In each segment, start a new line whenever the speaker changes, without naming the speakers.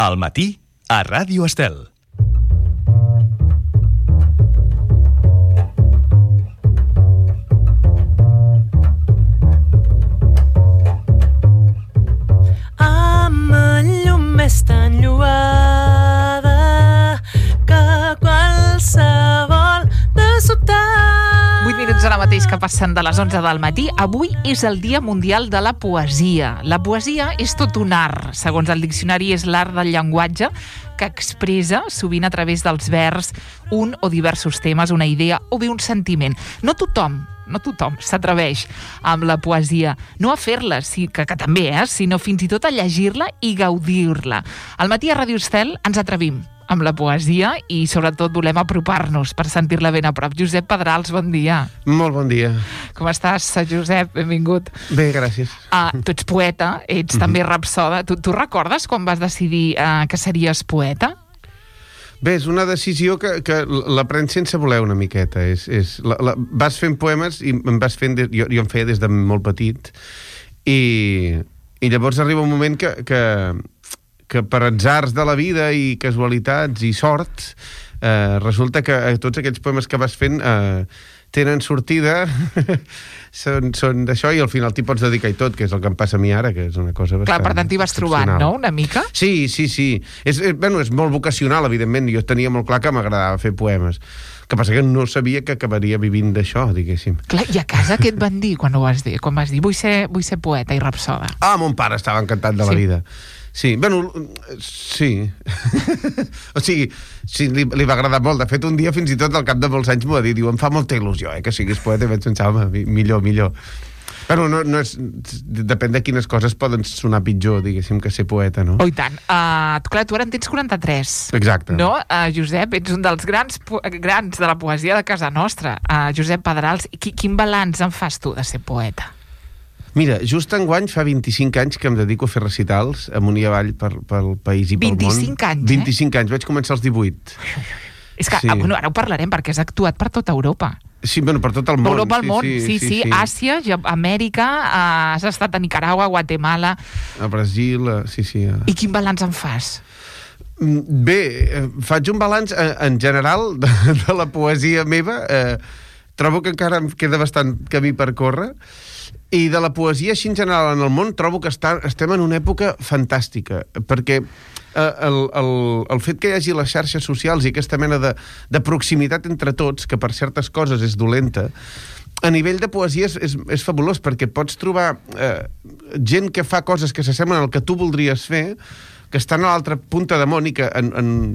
Al matí, a Ràdio Estel.
Amb la llum més tan lloada que qualsevol de sobte.
8 minuts ara mateix que passen de les 11 del matí. Avui és el Dia Mundial de la Poesia. La poesia és tot un art. Segons el diccionari, és l'art del llenguatge que expressa, sovint a través dels vers, un o diversos temes, una idea o bé un sentiment. No tothom s'atreveix amb la poesia, no a fer-la, que també, sinó fins i tot a llegir-la i gaudir-la. Al matí a Ràdio Estel ens atrevim amb la poesia i sobretot volem apropar-nos per sentir-la ben a prop. Josep Pedrals, bon dia.
Molt bon dia.
Com estàs, Josep? Benvingut.
Bé, gràcies.
Tu ets poeta, ets també rapsoda. Tu recordes quan vas decidir que series poeta?
Bé, és una decisió que la prens sense voler una miqueta. Vas fent poemes i jo en feia des de molt petit i llavors arriba un moment que per atzars de la vida i casualitats i sort resulta que tots aquells poemes que vas fent tenen sortida, són d'això, i al final t'hi pots dedicar i tot, que és el que em passa a mi ara, que és una cosa bastant...
Clar, per tant t'hi vas trobant, no?, una mica?
Sí. És molt vocacional, evidentment. Jo tenia molt clar que m'agradava fer poemes. Que passa que no sabia que acabaria vivint d'això, diguéssim.
Clar, i a casa què et van dir quan ho vas dir? Quan vas dir, vull ser poeta i rapsoda?
Mon pare estava encantat de la vida. Sí, sí. O sigui, sí, li va agradar molt. De fet, un dia, fins i tot, al cap de molts anys m'ho va dir. Diu, em fa molta il·lusió, que siguis poeta. I vaig pensar, home, millor. Però no és... Depèn de quines coses poden sonar pitjor, diguéssim, que ser poeta, no?
Oh, i tant. Clar, tu ara en tens 43.
Exacte.
No? Josep, ets un dels grans de la poesia de casa nostra. Josep Pedrals, quin balanç en fas tu de ser poeta?
Mira, just enguany fa 25 anys que em dedico a fer recitals amunt i avall pel país i pel món.
25 anys,
25 anys, vaig començar als 18.
És que, bueno, ara ho parlarem, perquè has actuat per tota Europa.
Sí, bueno, per tot el món.
Europa, el món, sí. Àsia, Amèrica, has estat a Nicaragua, Guatemala...
A Brasil, sí.
I quin balanç en fas?
Bé, faig un balanç en general de la poesia meva. Trobo que encara em queda bastant camí per córrer. I de la poesia, així en general, en el món, trobo que estem en una època fantàstica, perquè el fet que hi hagi les xarxes socials i aquesta mena de proximitat entre tots, que per certes coses és dolenta, a nivell de poesia és fabulós, perquè pots trobar gent que fa coses que s'assemblen al que tu voldries fer, que estan a l'altra punta de món i que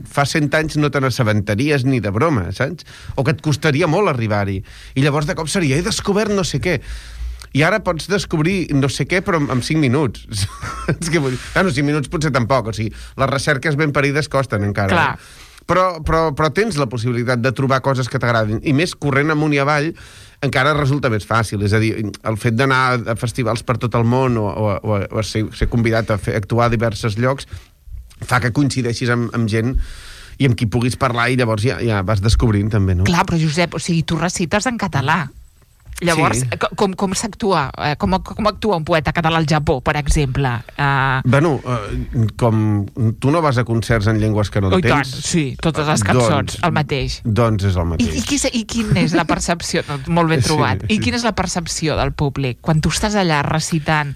fa 100 anys no te n'assabentaries ni de broma, saps? O que et costaria molt arribar-hi. I llavors de cop seria, he descobert no sé què. I ara pots descobrir no sé què, però en 5 minuts. 5 minuts potser tampoc. O sigui, les recerques ben parides costen encara.
Clar.
Però tens la possibilitat de trobar coses que t'agradin. I més, corrent amunt i avall, encara resulta més fàcil. És a dir, el fet d'anar a festivals per tot el món o ser convidat a actuar a diversos llocs fa que coincideixis amb gent i amb qui puguis parlar i llavors ja vas descobrint també, no?
Clar, però Josep, o sigui, tu recites en català. Llavors, sí. Com s'actua? Com actua un poeta català al Japó, per exemple?
Com tu no vas a concerts en llengües que no entens...
I tant, sí, totes les cançons, el mateix.
Doncs és el mateix.
I quina és la percepció? Molt ben trobat. I quina és la percepció del públic quan tu estàs allà recitant?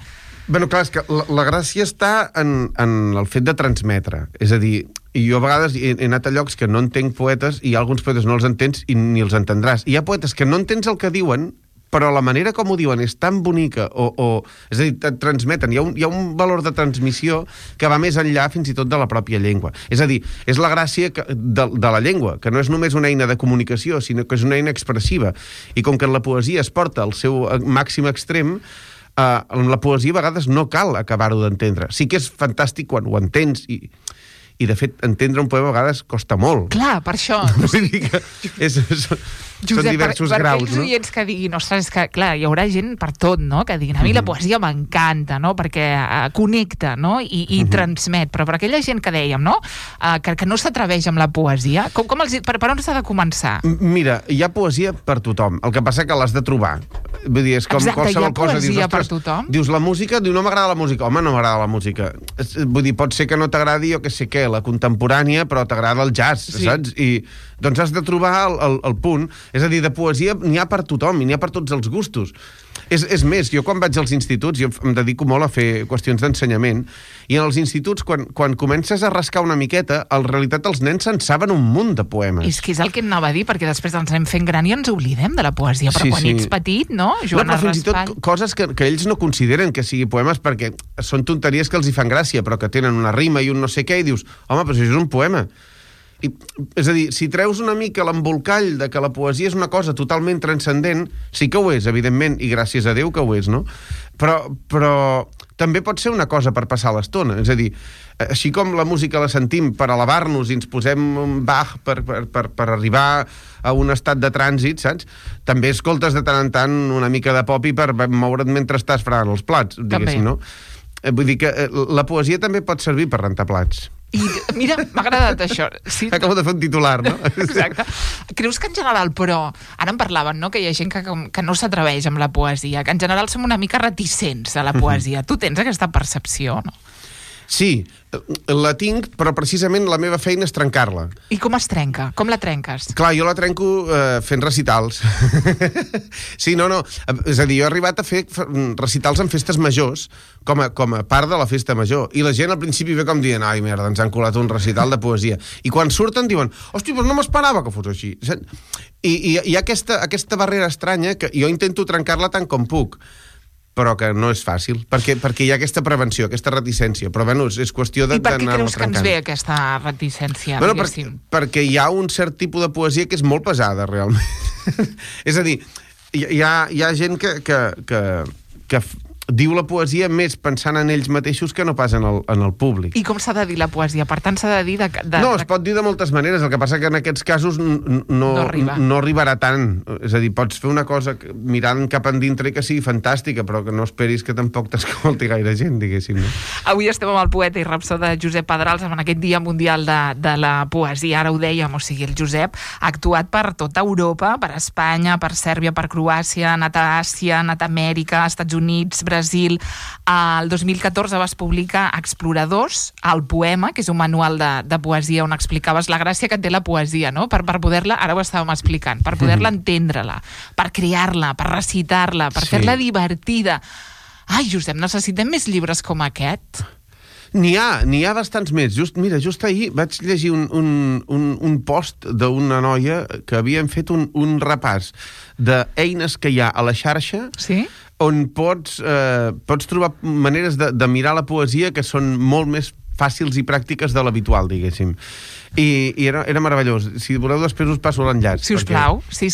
Clar, és que la gràcia està en el fet de transmetre. És a dir, jo a vegades he anat a llocs que no entenc poetes i alguns poetes no els entens i ni els entendràs. I hi ha poetes que no entens el que diuen, però la manera com ho diuen és tan bonica és a dir, et transmeten. Hi ha un valor de transmissió que va més enllà fins i tot de la pròpia llengua. És a dir, és la gràcia de la llengua, que no és només una eina de comunicació, sinó que és una eina expressiva. I com que en la poesia es porta al seu màxim extrem, en la poesia a vegades no cal acabar-ho d'entendre. Sí que és fantàstic quan ho entens i de fet, entendre un poema a vegades costa molt.
Clar, per això.
Vull dir que són diversos graus, no?
Per aquells oients que diguin, ostres, és que, clar, hi haurà gent per tot, no?, que diguin, a mi la poesia m'encanta, no?, perquè connecta, no?, i transmet, però per aquella gent que dèiem, no?, que no s'atreveix amb la poesia, per on s'ha de començar?
Mira, hi ha poesia per tothom, el que passa que l'has de trobar. Vull dir, és com
Exacte,
qualsevol cosa.
Hi ha poesia per
ostres,
tothom.
Dius, la música, no m'agrada la música. Home, no m'agrada la música. Vull dir, pot ser que no t'agradi, jo que sé què, la contemporània, però t'agrada el jazz, saps? I doncs has de trobar el punt. És a dir, de poesia n'hi ha per tothom i n'hi ha per tots els gustos. És més, jo quan vaig als instituts, jo em dedico molt a fer qüestions d'ensenyament, i en els instituts, quan comences a rascar una miqueta, en realitat els nens se'n saben un munt de poemes.
És que és el que anava a dir, perquè després ens anem fent gran i ens oblidem de la poesia, però quan ets petit, no? Joan
però fins i tot coses que ells no consideren que sigui poemes perquè són tonteries que els hi fan gràcia, però que tenen una rima i un no sé què, i dius, home, però això és un poema. És a dir, si treus una mica l'embolcall de que la poesia és una cosa totalment transcendent, sí que ho és, evidentment, i gràcies a Déu que ho és, no? Però també pot ser una cosa per passar l'estona. És a dir, així com la música la sentim per elevar-nos i ens posem un Bach per arribar a un estat de trànsit, saps? També escoltes de tant en tant una mica de pop i per moure't mentre estàs fregant els plats, diguéssim, no? Vull dir que la poesia també pot servir per rentar plats.
I mira, m'ha agradat això. Sí,
acabo de fer un titular, no?
Exacte. Creus que en general, però, ara en parlaven, no?, que hi ha gent que no s'atreveix amb la poesia, que en general som una mica reticents a la poesia. Tu tens aquesta percepció, no?
Sí, la tinc, però precisament la meva feina és trencar-la.
I com es trenca? Com la trenques?
Clar, jo la trenco fent recitals. Sí, no. És a dir, jo he arribat a fer recitals en festes majors, com a part de la festa major. I la gent al principi ve com dient, ai, merda, ens han colat un recital de poesia. I quan surten diuen, hòstia, però no m'esperava que fos així. I hi ha aquesta barrera estranya que jo intento trencar-la tant com puc, però que no és fàcil, perquè hi ha aquesta prevenció, aquesta reticència, però bueno, és qüestió d'anar-la trencant.
I per què creus que ens ve aquesta reticència, diguéssim?
Perquè hi ha un cert tipus de poesia que és molt pesada, realment. És a dir, hi ha gent que diu la poesia més pensant en ells mateixos que no pas en el públic.
I com s'ha de dir la poesia? Per tant, s'ha de dir...
No, es pot dir de moltes maneres. El que passa que en aquests casos no arribarà tant. És a dir, pots fer una cosa mirant cap endintre que sigui fantàstica, però que no esperis que tampoc t'escolti gaire gent, diguéssim. No?
Avui estem amb el poeta i rapsode Josep Pedrals en aquest Dia Mundial de la Poesia. Ara ho dèiem, o sigui, el Josep ha actuat per tota Europa, per Espanya, per Sèrbia, per Croàcia, ha anat a Àsia, ha anat a Amèrica, als Estats Units, Brasil. El 2014 vas publicar Exploradors, el poema, que és un manual de poesia on explicaves la gràcia que té la poesia, no? Per poder-la, ara ho estàvem explicant, per poder-la entendre-la, per crear-la, per recitar-la, per fer-la divertida. Ai, Josep, necessitem més llibres com aquest?
N'hi ha bastants més. Just ahir vaig llegir un post d'una noia que havien fet un repàs d'eines que hi ha a la xarxa,
sí?
On pots trobar maneres de mirar la poesia que són molt més fàcils i pràctiques de l'habitual, diguéssim. I era meravellós. Si voleu, després us passo l'enllaç.
Si us plau, sí.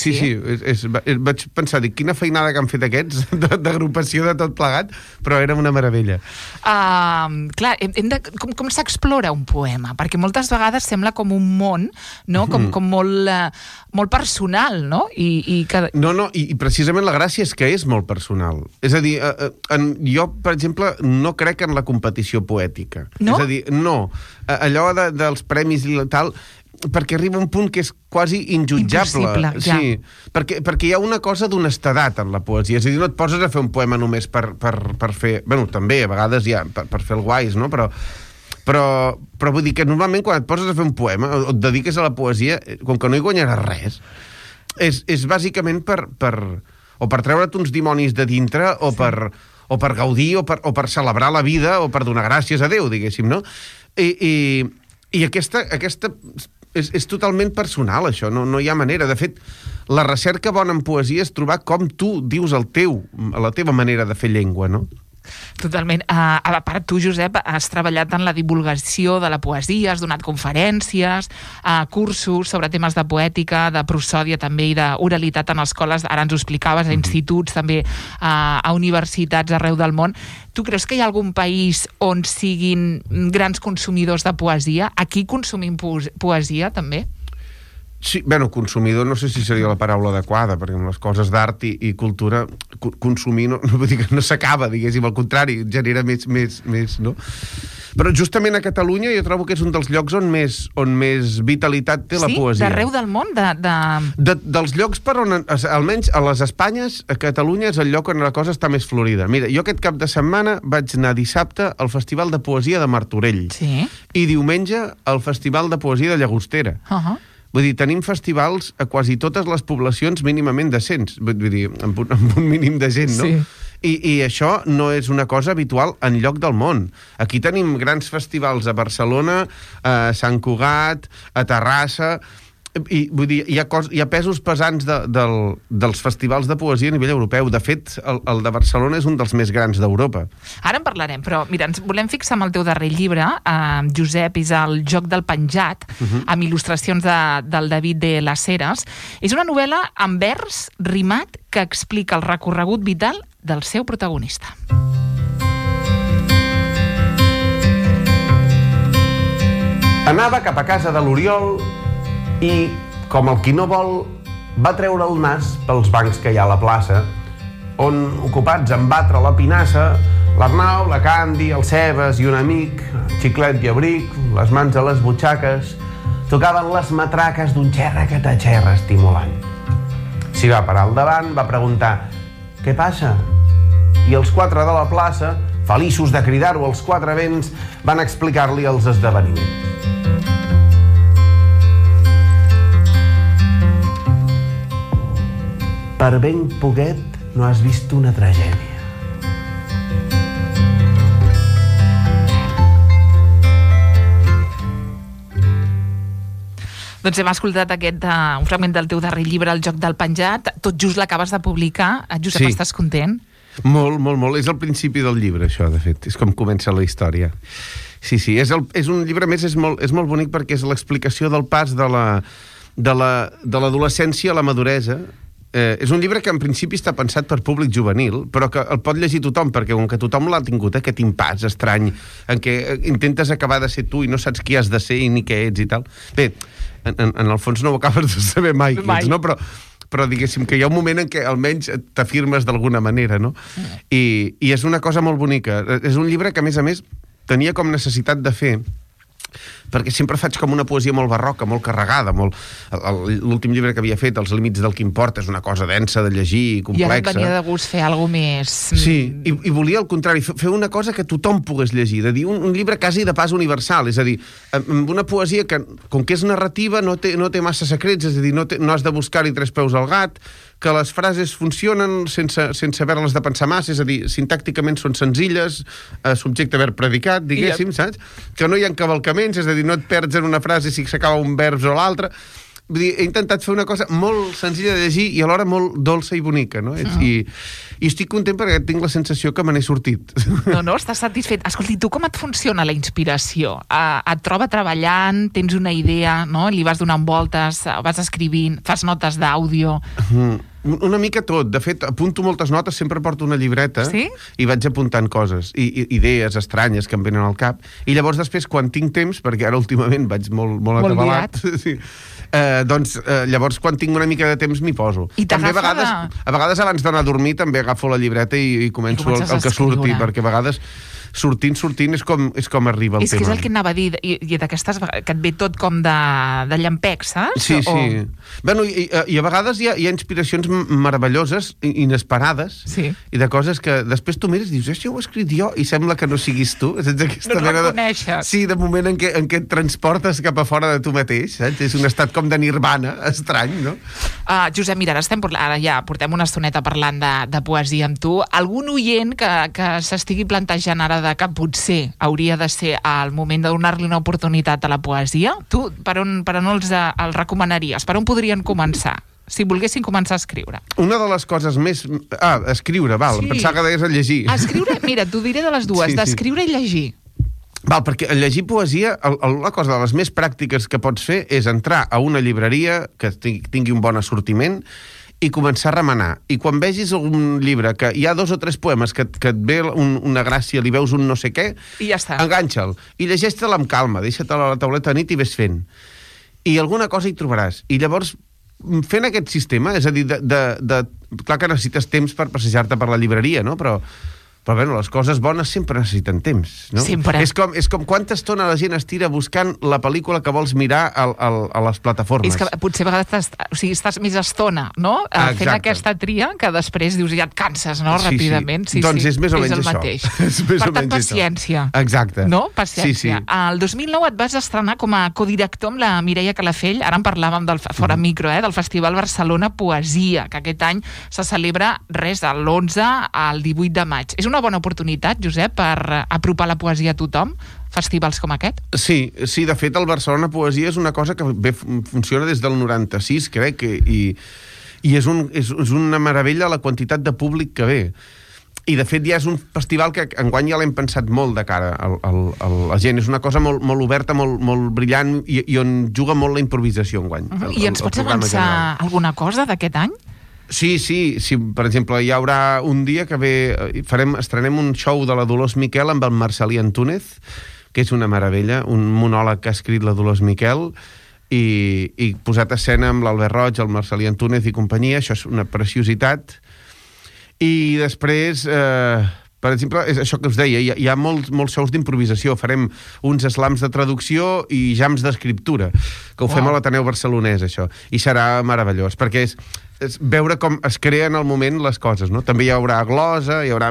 Vaig pensar, quina feinada que han fet aquests d'agrupació de tot plegat, però era una meravella.
Clar, com s'explora un poema? Perquè moltes vegades sembla com un món, no? Com molt personal, no?
No, i precisament la gràcia és que és molt personal. És a dir, jo, per exemple, no crec en la competició poètica.
No?
És a dir, no. Allò dels premis i tal, perquè arriba un punt que és quasi injutjable.
Impossible, ja. Sí,
perquè hi ha una cosa d'honestedat en la poesia. És a dir, no et poses a fer un poema només per fer... Bueno, també, a vegades ja, per fer el guais, no? Però vull dir que normalment quan et poses a fer un poema o et dediques a la poesia, com que no hi guanyaràs res, és bàsicament per treure't uns dimonis de dintre o per gaudir o per celebrar la vida o per donar gràcies a Déu, diguéssim, no? I aquesta és totalment personal, això, no hi ha manera. De fet, la recerca bona en poesia és trobar com tu dius la teva manera de fer llengua, no?
Totalment. A part, tu, Josep, has treballat en la divulgació de la poesia, has donat conferències, cursos sobre temes de poètica, de prosòdia també i d'oralitat en escoles, ara ens ho explicaves, a instituts, també a universitats arreu del món. Tu creus que hi ha algun país on siguin grans consumidors de poesia? Aquí consumim poesia, també?
Sí, bueno, consumidor no sé si seria la paraula adequada, perquè amb les coses d'art i cultura consumir no vull dir que no s'acaba, diguéssim, al contrari, genera més, no? Però justament a Catalunya jo trobo que és un dels llocs on més vitalitat té la poesia.
Sí? D'arreu del món?
Dels llocs per on, almenys a les Espanyes, a Catalunya és el lloc on la cosa està més florida. Mira, jo aquest cap de setmana vaig anar dissabte al Festival de Poesia de Martorell.
Sí.
I diumenge al Festival de Poesia de Llagostera. Vull dir, tenim festivals a quasi totes les poblacions mínimament decents. Vull dir, amb un mínim de gent, no?
Sí.
I això no és una cosa habitual enlloc del món. Aquí tenim grans festivals a Barcelona, a Sant Cugat, a Terrassa... I vull dir, hi ha pesos pesants dels festivals de poesia a nivell europeu. De fet, el de Barcelona és un dels més grans d'Europa.
Ara en parlarem, però mira, ens volem fixar en el teu darrer llibre, Josep, és El joc del penjat, amb il·lustracions del David de las Heras. És una novel·la en vers rimat que explica el recorregut vital del seu protagonista.
Anava cap a casa de l'Oriol i, com el qui no vol, va treure el nas pels bancs que hi ha a la plaça, on, ocupats en batre la pinassa, l'Arnau, la Candy, el Cebes i un amic, Xiclet i Abric, les mans a les butxaques, tocaven les matraques d'un xerra-que-ta-xerra estimulant. S'hi va parar al davant, va preguntar «Què passa?» I els quatre de la plaça, feliços de cridar-ho als quatre vents, van explicar-li els esdeveniments. Per ben poquet no has vist una tragèdia.
Doncs hem escoltat un fragment del teu darrer llibre, El joc del penjat. Tot just l'acabes de publicar. Josep,
Sí.
estàs content?
Molt, molt, molt. És el principi del llibre, això, de fet. És com comença la història. Sí, sí. És un llibre, més, és molt bonic perquè és l'explicació del pas de l'adolescència a la maduresa. És un llibre que en principi està pensat per públic juvenil, però que el pot llegir tothom, perquè com que tothom l'ha tingut, aquest impàs estrany, en què intentes acabar de ser tu i no saps qui has de ser i ni què ets i tal. Bé, en el fons no ho acabes de saber mai qui ets, no? Però diguéssim que hi ha un moment en què almenys t'afirmes d'alguna manera, no? I és una cosa molt bonica. És un llibre que, a més, tenia com necessitat de fer, perquè sempre faig com una poesia molt barroca, molt carregada, l'últim llibre que havia fet, Els límits del que importa, és una cosa densa de llegir i complexa.
I ara et venia de gust fer alguna més...
Sí, i volia al contrari, fer una cosa que tothom pogués llegir, de dir un llibre quasi de pas universal, és a dir, amb una poesia que, com que és narrativa, no té massa secrets, és a dir, no has de buscar-hi tres peus al gat, que les frases funcionen sense haver-les de pensar massa, és a dir, sintàcticament són senzilles, subjecte, verb, predicat, diguéssim, saps? Que no hi ha encavalcaments, és a dir, no et perds en una frase si s'acaba un verb o l'altre. Vull dir, he intentat fer una cosa molt senzilla de llegir i alhora molt dolça i bonica, no? I estic content perquè tinc la sensació que me n'he sortit.
No, estàs satisfet. Escolti, tu com et funciona la inspiració? Et troba treballant, tens una idea, no? Li vas donant voltes, vas escrivint, fas notes d'àudio...
Una mica tot. De fet, apunto moltes notes, sempre porto una llibreta i vaig apuntant coses, idees estranyes que em venen al cap. I llavors després, quan tinc temps, perquè ara últimament vaig molt atabalat, llavors quan tinc una mica de temps m'hi poso.
I
també a vegades abans d'anar a dormir també agafo la llibreta i començo el que surti, perquè a vegades sortint és com arriba el tema.
És que és el que anava a dir, i d'aquestes que et ve tot com de llampec, saps?
Sí. Bueno, i a vegades hi ha inspiracions meravelloses, inesperades, i de coses que després tu mires i dius, això ho he escrit jo, i sembla que no siguis tu.
No et reconeixes.
Sí, de moment en què et transportes cap a fora de tu mateix, saps? És un estat com de nirvana, estrany, no?
Josep, mira, ara ja portem una estoneta parlant de poesia amb tu. Algun oient que s'estigui plantejant ara que potser hauria de ser el moment de donar-li una oportunitat a la poesia, tu per on els recomanaries? Per on podrien començar? Si volguessin començar a escriure.
Una de les coses més... escriure, val. Sí. Pensava que deies a llegir.
Escriure, mira, t'ho diré de les dues, d'escriure i llegir.
Val, perquè llegir poesia, una cosa de les més pràctiques que pots fer és entrar a una llibreria que tingui un bon assortiment i començar a remenar. I quan vegis un llibre que hi ha 2 o 3 poemes que et ve una gràcia, li veus un no sé què,
i ja està.
Enganxa'l. I llegeix-te'l amb calma, deixa-te'l a la tauleta de nit i ves fent. I alguna cosa hi trobaràs. I llavors, fent aquest sistema, és a dir, clar que necessites temps per passejar-te per la llibreria, no? Però Però, bueno, les coses bones sempre necessiten temps, no?
Sempre.
És com quanta estona la gent estira buscant la pel·lícula que vols mirar a les plataformes.
És que potser a vegades estàs més estona, no? Fent aquesta tria, que després dius ja et canses, no? Ràpidament.
Sí. Doncs és més o menys
el
això.
mateix.
És més
Per
o
tant,
menys
paciència.
Això. Exacte.
No? Paciència.
Sí.
El 2009 et vas estrenar com a codirector amb la Mireia Calafell, ara en parlàvem fora micro, del Festival Barcelona Poesia, que aquest any se celebra de l'11 al 18 de maig. És una bona oportunitat, Josep, per apropar la poesia a tothom, festivals com aquest?
Sí, de fet el Barcelona Poesia és una cosa que funciona des del 96, crec, i és una meravella la quantitat de públic que ve. I de fet ja és un festival que enguany ja l'hem pensat molt de cara a la gent. És una cosa molt oberta, molt brillant i on juga molt la improvisació enguany.
I ens pots avançar alguna cosa d'aquest any?
Sí, per exemple, hi haurà un dia que estrenem un show de la Dolors Miquel amb el Marcelí Antúnez, que és una meravella, un monòleg que ha escrit la Dolors Miquel i posat a escena amb l'Albert Roig, el Marcelí Antúnez i companyia. Això és una preciositat. I després, per exemple, és això que us deia, hi ha molts shows d'improvisació. Farem uns slams de traducció i jams d'escriptura, que ho fem a l'Ateneu Barcelonès, això. I serà meravellós, perquè és veure com es creen al moment les coses, no? També hi haurà glosa, hi haurà...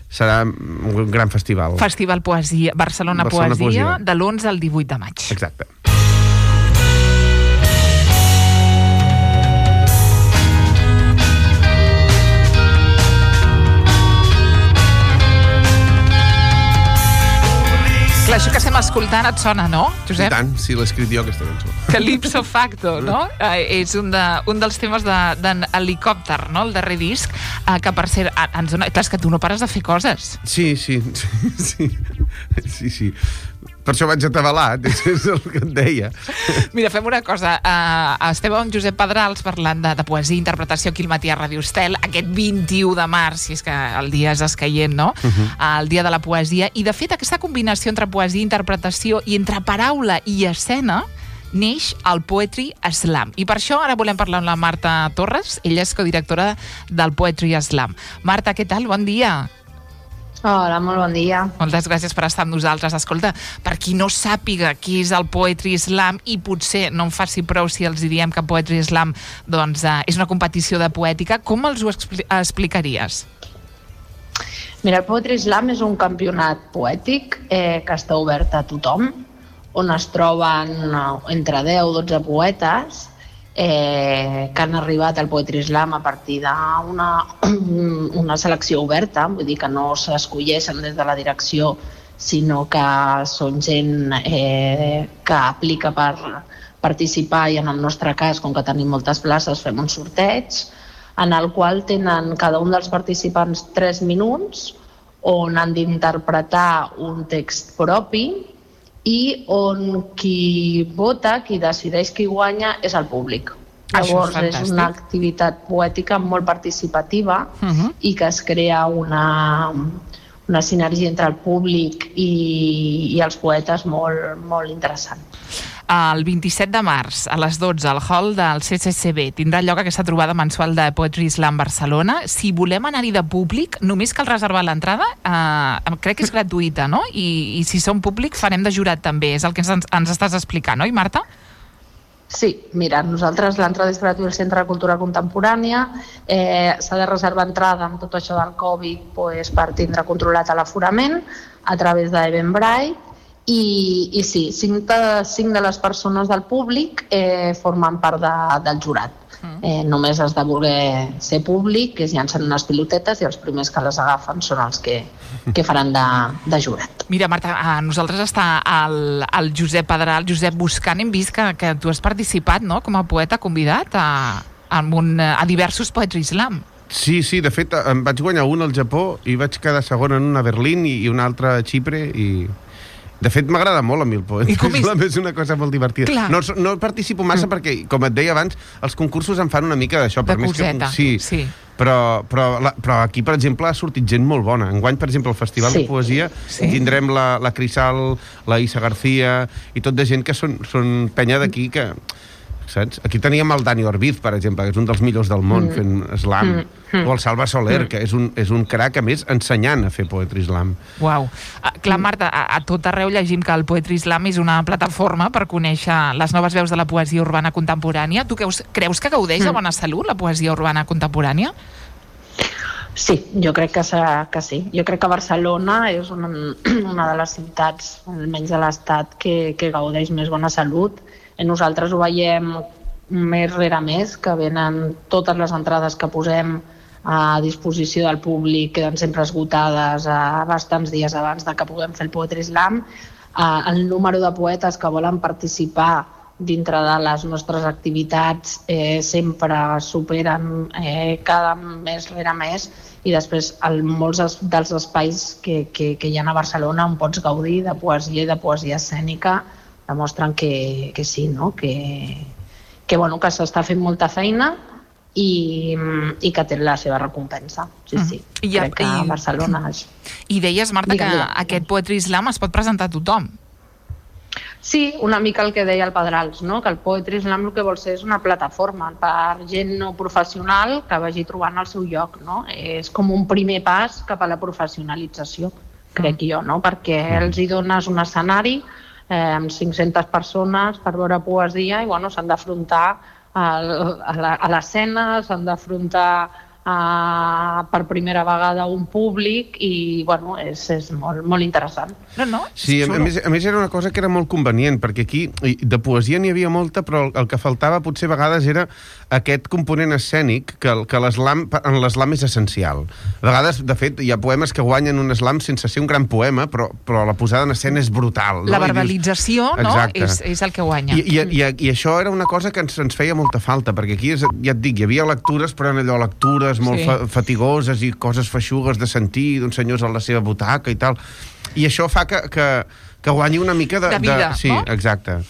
serà un gran festival.
Festival Poesia, Barcelona Poesia, de l'11 al 18 de maig.
Exacte.
Clar, això que estem escoltant et sona, no, Josep?
I tant, sí, l'he escrit jo, aquesta cançó.
Calypso Facto, no? És un dels temes d'en Helicòpter, no? El darrer disc, que per cert ens dona... Clar, és que tu no pares de fer coses.
Sí. Per això vaig atabalat, és el que et deia.
Mira, fem una cosa. Estem amb Josep Pedrals parlant de poesia i interpretació aquí al matí a Ràdio Estel, aquest 21 de març, si és que el dia és escaient, no? El dia de la poesia. I, de fet, aquesta combinació entre poesia i interpretació i entre paraula i escena neix el Poetry Slam. I per això ara volem parlar amb la Marta Torres. Ella és codirectora del Poetry Slam. Marta, què tal? Bon dia.
Hola, molt bon dia.
Moltes gràcies per estar amb nosaltres. Escolta, per qui no sàpiga què és el Poetry Slam, i potser no en faci prou si els diem que Poetry Slam doncs, és una competició de poètica, com els ho explicaries?
Mira, el Poetry Slam és un campionat poètic que està obert a tothom, on es troben entre 10 o 12 poetes que han arribat al Poetry Slam a partir d'una selecció oberta, vull dir que no s'escolleixen des de la direcció, sinó que són gent que aplica per participar, i en el nostre cas, com que tenim moltes places, fem un sorteig en el qual tenen cada un dels participants 3 minuts on han d'interpretar un text propi i on qui vota, qui decideix qui guanya, és el públic. Llavors és una activitat poètica molt participativa i que es crea una sinergia entre el públic i els poetes molt interessant.
El 27 de març, a les 12, al hall del CCCB, tindrà lloc aquesta trobada mensual de Poetry Slam Barcelona. Si volem anar-hi de públic, només cal reservar l'entrada. Crec que és gratuïta, no? I si som públic, farem de jurat també. És el que ens estàs explicant, oi, Marta?
Sí, mira, nosaltres l'entrada és gratuïta al Centre de Cultura Contemporània. S'ha de reservar entrada amb tot això del Covid per tindre controlat l'aforament a través d'Eventbrite. I sí, 5 de les persones del públic formen part del jurat. Només has de voler ser públic, que es llancen unes pilotetes i els primers que les agafen són els que faran de jurat.
Mira, Marta, a nosaltres està el Josep Pedral, Josep buscant. Hem vist que tu has participat, no?, com a poeta convidat a diversos Poetry Slam.
Sí, de fet, em vaig guanyar un al Japó i vaig quedar segon en una a Berlín i un altre a Xipre i... De fet, m'agrada molt a mi el Poetry Slam, és una cosa molt divertida. No participo massa perquè, com et deia abans, els concursos em fan una mica d'això.
De coseta.
Sí. Però aquí, per exemple, ha sortit gent molt bona. Enguany, per exemple, al Festival de Poesia tindrem la Crisal, la Isa García i tot de gent que són penya d'aquí que saps? Aquí teníem el Dani Orbiz, per exemple, que és un dels millors del món fent slam, o el Salva Soler, que és un crac, a més, ensenyant a fer poetry slam.
Uau. Clar, Marta, a tot arreu llegim que el Poetry Slam és una plataforma per conèixer les noves veus de la poesia urbana contemporània. Tu creus que gaudeix de bona salut la poesia urbana contemporània?
Sí, jo crec que sí. Jo crec que Barcelona és una de les ciutats, almenys de l'Estat, que gaudeix més bona salut. Nosaltres ho veiem més rere més, que venen totes les entrades que posem a disposició del públic, queden sempre esgotades bastants dies abans de que puguem fer el Poetry Slam. El número de poetes que volen participar dintre de les nostres activitats sempre superen cada mes rere mes, i després molts dels espais que hi ha a Barcelona on pots gaudir de poesia i de poesia escènica demostren que sí, no? que s'està fent molta feina i que té la seva recompensa. Sí. Crec que a Barcelona és...
I deies, Marta, que aquest Poetry Slam es pot presentar a tothom.
Sí, una mica el que deia el Pedrals, no? Que el Poetry Slam el que vol ser és una plataforma per gent no professional que vagi trobant el seu lloc, no? És com un primer pas cap a la professionalització, crec jo, no? Perquè els hi dones un escenari amb 500 persones per veure poesia i s'han d'afrontar a l'escena, s'han d'afrontar per primera vegada un públic i és molt interessant.
No?
Sí, a més era una cosa que era molt convenient, perquè aquí de poesia n'hi havia molta, però el que faltava potser a vegades era aquest component escènic que en l'eslam és essencial. A vegades, de fet, hi ha poemes que guanyen un slam sense ser un gran poema, però la posada en escena és brutal. No?
La verbalització és el que guanya.
I això era una cosa que ens feia molta falta, perquè aquí, ja et dic, hi havia lectures, però eren allò lectures molt fatigoses i coses feixugues de sentir d'uns senyors a la seva butaca i tal. I això fa que guanyi una mica de
vida,
sí,
no?
Exacte.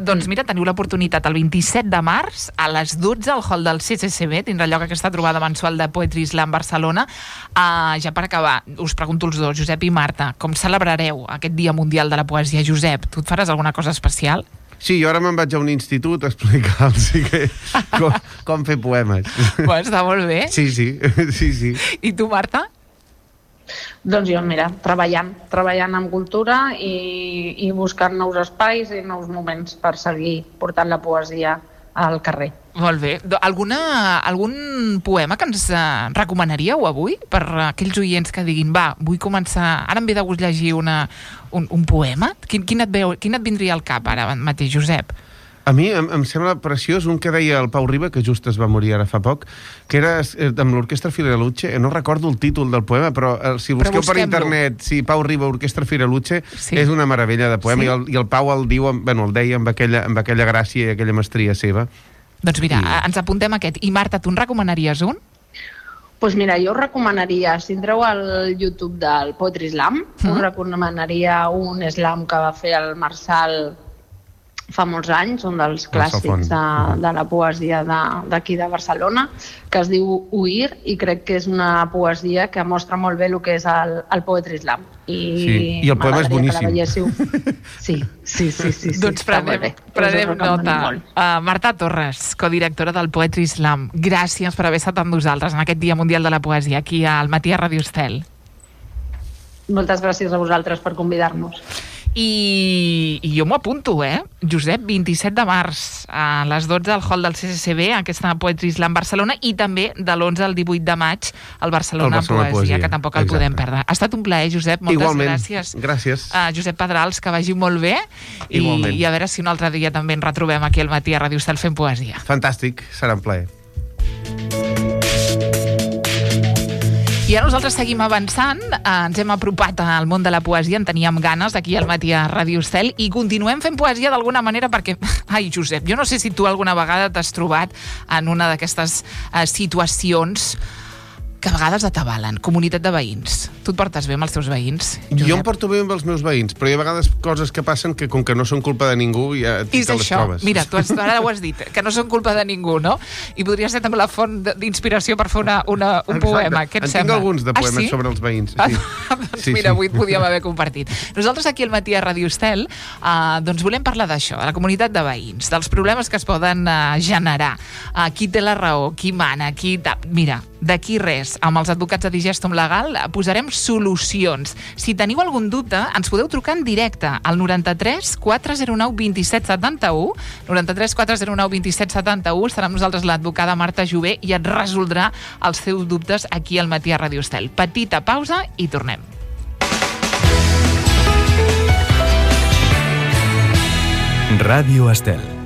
Doncs mira, teniu l'oportunitat el 27 de març a les 12 al hall del CCCB, tindrà lloc aquesta trobada mensual de Poetry Slam Barcelona. Ja per acabar, us pregunto els dos, Josep i Marta, com celebrareu aquest Dia Mundial de la Poesia? Josep, tu et faràs alguna cosa especial?
Sí, jo ara me'n vaig a un institut a explicar-los com fer poemes.
Està molt bé.
Sí.
I tu, Marta?
Doncs jo, mira, treballant en cultura i buscant nous espais i nous moments per seguir portant la poesia al carrer.
Molt bé. Algun poema que ens recomanaríeu avui per aquells oients que diguin vull començar, ara em ve de gust llegir un poema? Quin et vindria al cap ara mateix, Josep?
A mi em sembla preciós un que deia el Pau Riba, que just es va morir ara fa poc, que era amb l'Orquestra Firaluce. No recordo el títol del poema, però si busqueu per internet, Pau Riba, Orquestra Firaluce, és una meravella de poema, i el Pau el deia amb aquella gràcia i aquella mestria seva.
Doncs mira, ens apuntem aquest. I Marta, tu en recomanaries un?
Doncs mira, jo us recomanaria, si entreu al YouTube del Poetry Slam, us recomanaria un slam que va fer el Marçal fa molts anys, un dels clàssics de la poesia d'aquí de Barcelona, que es diu Huir, i crec que és una poesia que mostra molt bé el que és el Poetry Slam.
I el poema és boníssim.
Sí.
Doncs prenem nota. Marta Torres, codirectora del Poetry Slam, gràcies per haver estat amb nosaltres en aquest Dia Mundial de la Poesia aquí al Matí a Ràdio Estel.
Moltes gràcies a vosaltres per convidar-nos.
I jo m'ho apunto, Josep, 27 de març a les 12 al hall del CCCB, aquesta Poetry Slam Barcelona, i també de l'11 al 18 de maig al Barcelona Poesia, que tampoc el podem perdre. Ha estat un plaer, Josep, moltes gràcies.
Gràcies.
Josep Pedrals, que vagi molt bé, i a veure si un altre dia també ens retrobem aquí al Matí a Ràdio Estel fent poesia.
Fantàstic, serà un plaer.
I ara nosaltres seguim avançant, ens hem apropat al món de la poesia, en teníem ganes aquí al Matí a Ràdio Estel, i continuem fent poesia d'alguna manera perquè, Josep, jo no sé si tu alguna vegada t'has trobat en una d'aquestes situacions que a vegades atabalen. Comunitat de veïns. Tu et portes bé amb els teus veïns, Josep?
Jo em porto bé amb els meus veïns, però hi ha vegades coses que passen que, com que no són culpa de ningú, ja te les trobes.
Mira, tu ara ho has dit, que no són culpa de ningú, no? I podria ser també la font d'inspiració per fer un poema. Què et sembla?
Tinc alguns de poemes sobre els veïns.
Doncs mira, avui et podíem haver compartit. Nosaltres aquí al Matí a Ràdio Estel doncs volem parlar d'això, de la comunitat de veïns, dels problemes que es poden generar, qui té la raó, qui mana, Mira, d'aquí res, amb els advocats de Digestum Legal posarem solucions. Si teniu algun dubte, ens podeu trucar en directe al 93 409 27 71, 93 409 27 71, estarà amb nosaltres l'advocada Marta Jové i et resoldrà els teus dubtes aquí al Matí a Ràdio Estel. Petita pausa i tornem.
Ràdio Estel.